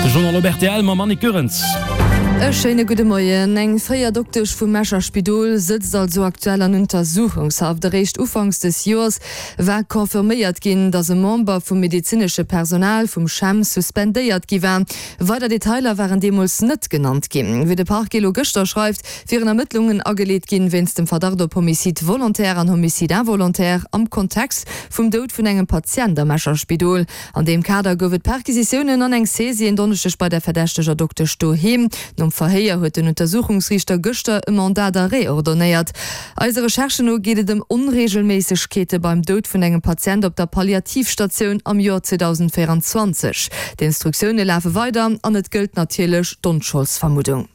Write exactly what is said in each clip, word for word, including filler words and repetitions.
De Journal op rtl mam Annick Goerens. E schéine gudde Moien. Eng fréier Doktesch vum Escher Spidol sëtzt also aktuell an Untersuchungshaft. Eréischt ufanks des Joers war confirméiert ginn, datt e Member vum medezinesche Personal vum CHEM suspendéiert gi war. Weider Detailer waren deemools net genannt ginn. Wéi de Parquet elo gëschter schreift, wieren Ermëttlungen ageleet ginn wéinst dem Verdacht op Homicide volontaire an Homicide involontaire am Kontext vum Doud vun engem Patient am Escher Spidol. An deem Kader gouf et Perquisitiounen an eng Saisie en Donneschdeg bei der verdächteger Doktesch doheem. Nom Verhéier huet den Untersuchungsriichter gëschter e Mandat d'arrêt ordonnéiert. Eise Recherchen no geet et ëm Onreegelméissegkeete beim Doud vun engem Patient op der Palliativstatioun am Joer zweedausendvéierenzwanzeg. D'Instruktioune lafe weider an et gëllt natierlech d'Onscholdsvermuddung.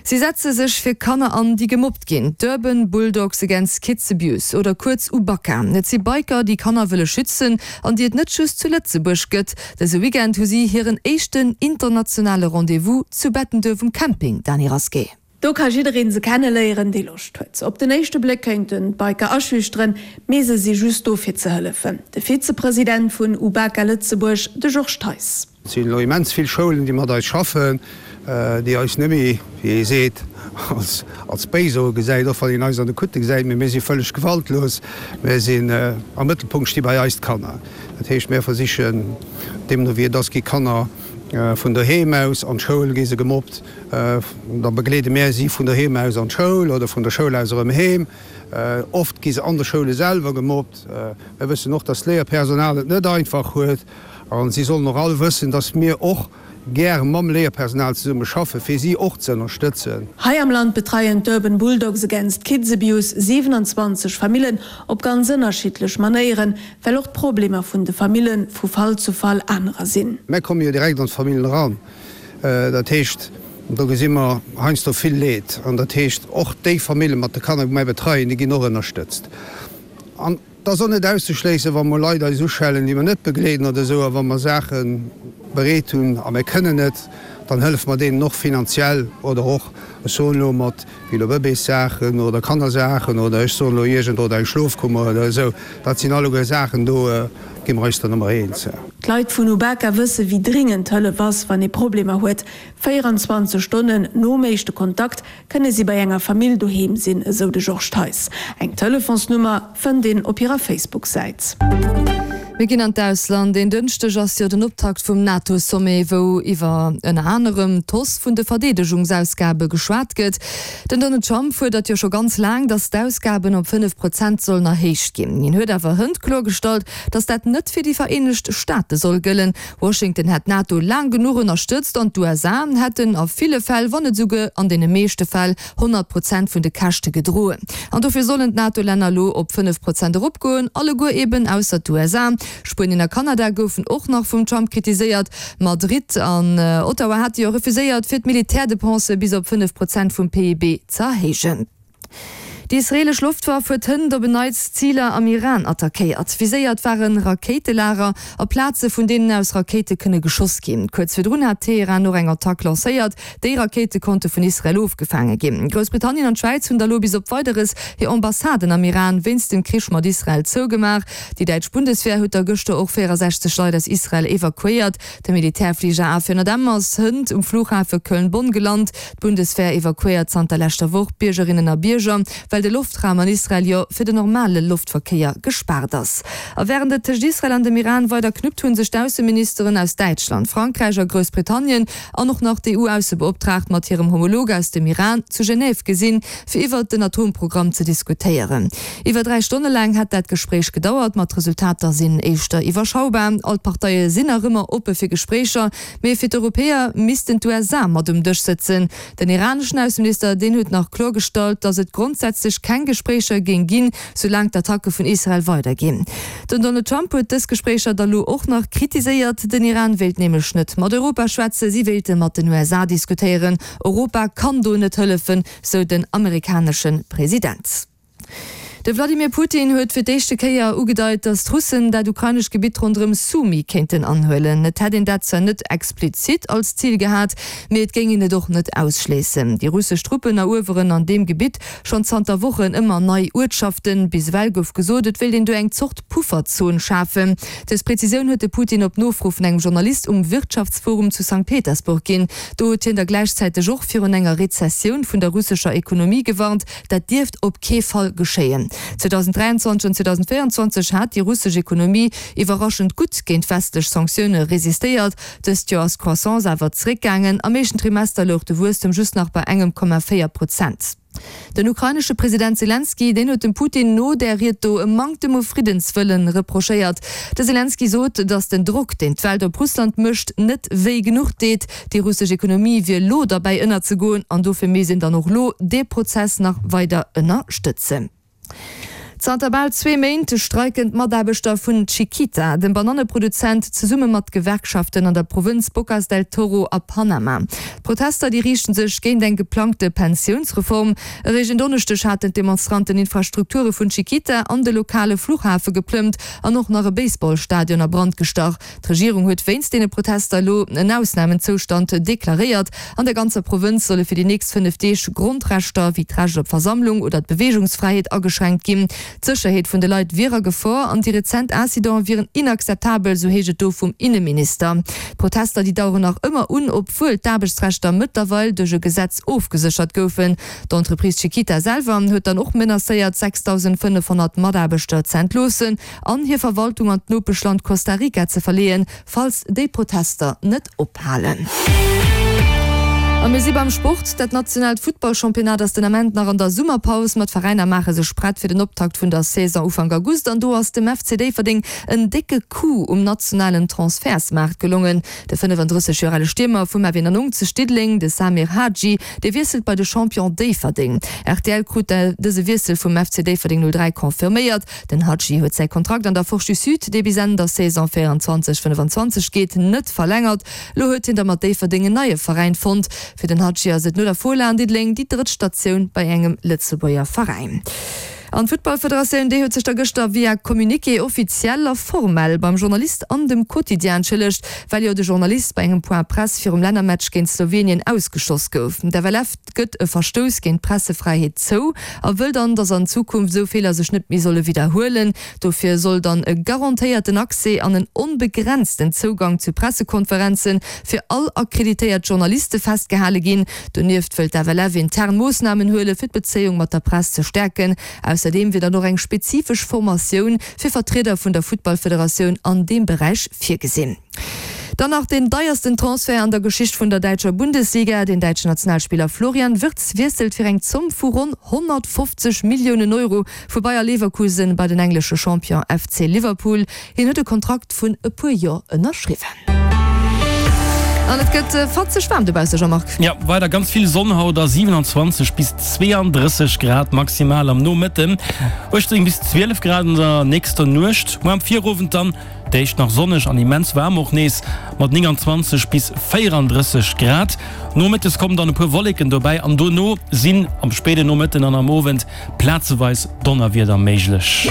Si setze sech fir Kanner an, déi gemobbt ginn, d'Urban Bulldogs Against Kids Abuse oder kuerz UBAKA. Et si Biker, déi Kanner wëlle schützen an déi et net just zu Lëtzebuerg gëtt. Dëse Weekend hu si hiren éischten internationale Rendez-vous zu Bettenduerf um Camping, Dany Rasqué. Do ka jiddereen se kenneléieren, dee Loscht huet. Op den éischte Bléck kéinten d'Biker aschüchteren, mee se si just do fir ze hëllefen. De Vizepresident vun UBAKA Lëtzebuerg, de Georges Theis. Et sinn elo immens vill Schoulen, déi mat eis schaffen, déi eis net méi, wéi ee seet, als Béisoe gesäit, och wann een eis an de Kutte gesäit, mee mir si vëlleg gewaltlos. Mir sinn, am Mëttelpunkt sti bei eis d'Kanner. Dat heescht, mir versichen, deemno wéi et ass, gi Kanner vun doheem aus an d'Schoul, gi se gemobbt, da begleede mir si vun doheem aus an d'Schoul oder vun der Schoul aus erëm heem. Oft gi se an de Schoule selwer gemobbt. Mir wëssen och, dass d'Léierpersonal et net einfach huet. A si sollen och all wëssen, dass mir och gär mam Léierpersonal zesumme schaffen, fir si och ze ënnerstëtzen. Hei am Land betreien d'Urban Bulldogs Against Kids Abuse siwenanzwanzeg Famillen op ganz ënnerschiddlech Manéieren, well och d'Problemer vun de Famille vu Fall zu Fall anerer sinn. Mär komme jo direkt an d'Famillen eran. Dat heescht, do gesi mer heiansdo vill Leed. An dat heescht, och déi Famille mat de Kanner, déi mär betreien, déi ginn och ënnerstëtzt. An et ass och net auszeschléissen, wa mol Leit eis uschellen, déi mer net begleeden oder esou, a wa mer Saache bereet hunn a mir kënnen net, dann hëllefe mer deenen och finanziell oder och, ech soen elo, mat wéi elo Bëbeessaachen oder Kannersaachen oder ech soen elo iergend oder eng Schlofkummer oder esou. Dat sinn alleguer Saachen, do gi mer eis dann ëmmer eens. D'Leit vun Ubaka wësse wéi dringend Hëllef ass, wann ee Problemer huet. véierundzwanzeg Stonnen nom éischte Kontakt kënne si bei enger Famill doheem sinn, esou de Georges Theis. Eng Telefonsnummer fënnt een op hirer Facebook-Säit. Mir ginn an d'Ausland. En Dënschdeg ass jo den Optakt vum NATO-Sommet, wou iwwer ënner anerem d'Hausse vun de Verdeedegungsausgabe geschwat gëtt. Den Donald Trump fuerdert jo scho ganz laang, datt d'Ausgaben op fënnef Prozent sollen erhéicht ginn. Hien huet awer hënt kloergestallt, datt dat net fir déi Vereenegt Staate soll gëllen. Washington hätt d'NATO laang genuch ënnerstëtzt an d'USA hätten a ville Fäll, wann net esouguer an deene meeschte Fäll, honnert Prozent vun de Käschte gedroen. An dofir sollen d'NATO-Länner elo op fënnef Prozent eropgoen, alleguer eben ausser d'USA. Spuenien a Kanada goufen och nach vum Trump kritiséiert. Madrid an Ottawa hate jo refuséiert, fir d'Militärdepense bis op fënnef Prozent vum P I B z'erhéijen. Déi israeelesch Loftwaff huet hënt op en Neits Ziler am Iran attackéiert. Viséiert ware Rakéitelager a Plaze vun deenen aus Rakéite kënne geschoss ginn. Kuerz virdrun hat Teheran och eng Attack lancéiert. Déi Rakéite konnte vun Israel ofgefaange ginn. Groussbritannien an d'Schwäiz hunn da lo bis op Weideres hir Ambassaden am Iran wéinst dem Krich mat Israel zougemaach. Déi däitsch Bundeswehr huet da gëschter och véierasechzeg Leit aus Israel evakuéiert. De Militärfliger A vierhonnert M ass hënt um Flughafe Köln-Bonn gelant. D'Bundeswehr evakuéiert zanter leschter Woch Biergerinnen a Bierger, well de Loftraum an Israel jo fir den normale Loftverkéier gespaart ass. A wärend et tëscht Israel an dem Iran weider knuppt, hu sech d'Ausseministeren aus Däitschland, Frankräich a Groussbritannien an och nach d'EU-Aussebeoptraagt mat hirem Homolog aus dem Iran zu Genève gesinn, fir iwwert den Atomprogramm ze diskutéieren. Iwwer dräi Stonne laang hätt dat Gespréich gedauert, ma d'Resultater sinn éischter iwwerschaubar. All d'Parteie sinn nach ëmmer oppe fir Gespréicher, mee fir d'Europäer missten d'USA mat um Dësch sëtzen. Den iraneschen Ausseminister, deen huet nach kloergestallt, datt et grondsätzlech keng Gespréicher géing ginn, soulaang d'Attacke vun Israel weiderginn. Den Donald Trump huet dës Gespréicher da lo och nach kritiséiert. Den Iran wéilt nämlech net mat Europa schwätzen, si wéilte mat den U S A diskutéieren. Europa kann do net hëllefen, sou den amerikanesche President. De Wladimir Putin huet fir d'éischte Kéier ugedeit, datt d'Russen dat ukrainescht Gebitt ronderëm Sumy kéinten anhuelen. Et hätt een dat zwar net explizit als Zil gehat, mee et géing een et och net ausschléissen. Déi russesch Truppen erueweren an deem Gebitt schonn zanter Wochen ëmmer nei Uertschaften. Bis ewell gouf gesot, et wéilt een do eng Zort Pufferzon schafen. Dës Prezisioun huet de Putin op Nofro vun engem Journalist um Wirtschaftsforum zu Sankt Petersburg ginn. Do huet hien da gläichzäiteg och virun enger Rezessioun vun der russescher Ekonomie gewarnt. Dat dierft op kee Fall geschéien. zweedausenddräianzwanzeg an zweedausenvéieranzwanzeg hat déi russesch Ekonomie iwwerraschend gutt géint westlech Sanktioune resistéiert. Dëst Joer ass d'Croissance awer zeréckgaangen, am éischten Trimester louch de Wuesstem just nach bei engem Komma véier Prozent. Den ukrainesche President Selenskyj, deen huet dem Putin no där Ried do e Manktem u Friddenswëllen reprochéiert. De Selenskyj sot, datt den Drock, deen d'Welt op Russland mécht, net wéi genuch deet. Déi russesch Ekonomie wier lo derbäi ënnerzegoen an dofir misst een dann och lo dee Prozess nach weider ënnerstëtzen. Zanter bal zwee Méint streiken d'Mataarbechter vun Chiquita, dem Bananneproduzent, zesumme mat Gewerkschaften an der Provënz Bocas del Toro a Panama. D'Protester, déi riichte sech géint eng geplangte Pensiounsreform. Eréischt en Donneschdeg haten d'Demonstranten Infrastrukture vun Chiquita an de lokale Fluchhafe geplëmmt an och nach e Baseballstadion a Brand gestach. D'Regierung huet wéinst deene Protester elo en Ausnamenzoustand deklaréiert. An der ganzer Provënz solle fir déi nächst fënnef Deeg Grondrechter wéi d'Recht op Versammlung oder d'Beweegungsfräiheet ageschränkt ginn. D'Sécherheet vun de Leit wier a Gefor an déi rezent Incidente wieren inakzeptabel, sou heescht et do vum Inneminister. D'Protester, déi daueren nach ëmmer un, obwuel d'Aarbechtsrechter mëttlerweil duerch e Gesetz ofgeséchert goufen. D'Entreprise Chiquita selwer huet dann och menacéiert, sechsdausendfënnefhonnert Mataarbechter ze entloossen an hir Verwaltung an d'Nopeschland Costa Rica ze verleeën, falls déi Protester net ophalen. A mir si beim Sport. Dat nationaalt Futtballchampionnat ass den Ament nach an der Summerpaus, ma d'Veräiner maache sech prett fir den Optakt vun der Saison Ufank August. An do ass dem F C Déifferdeng en décke Coup um nationalen Transfertsmaart gelongen. De fënnefandrësseg Joer ale Stiermer vum F eenannonzeg Diddeleng, de Samir Hadji, dee wiesselt bei de Champion Déifferdeng. R T L krut dëse Wiessel vum F C Déifferdeng null dräi confirméiert. Den Hadji huet säi Kontrakt an der Forge du Sud, dee bis Enn der Saison véieranzwanzeg fënnefanzwanzeg geet, net verlängert. Lo huet hien da mat Déifferdeng en neie Veräin fonnt. Fir den Hadji ass et no der Fola an Diddeleng déi drëtt Statioun bei engem Lëtzebuerger Veräin. An d'Futtballfederatioun, déi huet sech da gëschter via Communiqué offiziell a formell beim Journalist an dem Quotidien entschëllegt, well jo de Journalist bei engem Point Presse virum Lännermatch géint Slowenien ausgeschoss gouf. D'F L F gëtt e Verstouss géint d'Pressefräiheet zou a wëll dann, datt an Zukunft esou Feeler sech net méi solle widderhuelen. Dofir soll dann e garantéierten Accès an en onbegrenzten Zougang zu Pressekonferenze fir all akkreditéiert Journaliste festgehale ginn. Donieft wëllt d'F L F intern Moossnamen huele fir d'Bezéiung mat der Press ze stäerken. Ausserdeem wier dann och eng spezifesch Formatioun fir Vertrieder vun der Futtballfederatioun an deem Beräich virgesinn. Dann nach den deiersten Transfert an der Geschicht vun der däitscher Bundesliga, Den däitschen Nationalspiller Florian Wirtz wiesselt fir eng Zomm vu ronn honnertfofzeg Milliounen Euro vu Bayer Leverkusen bei den englesche Champion F C Liverpool. Hien huet e Kontrakt vun e puer Joer ënnerschriwwen. An et gëtt fatzeg waarm dobausse, Jean-Marc. Jo, weider ganz vill Sonn haut a siewenanzwanzeg bis zweeandrësseg Grad maximal am Nomëtten, uechtzéng bis zwielef Grad an der nächster Nuecht. Muer am Virowend dann d'éischt nach sonneg an immens waarm och nees mat nénganzwanzeg bis véierandrësseg Grad. Nomëttes kommen dann e puer Wolleken dobäi an dono sinn am spéiden Nomëtten an am Owend plazeweis Donnerwieder méiglech.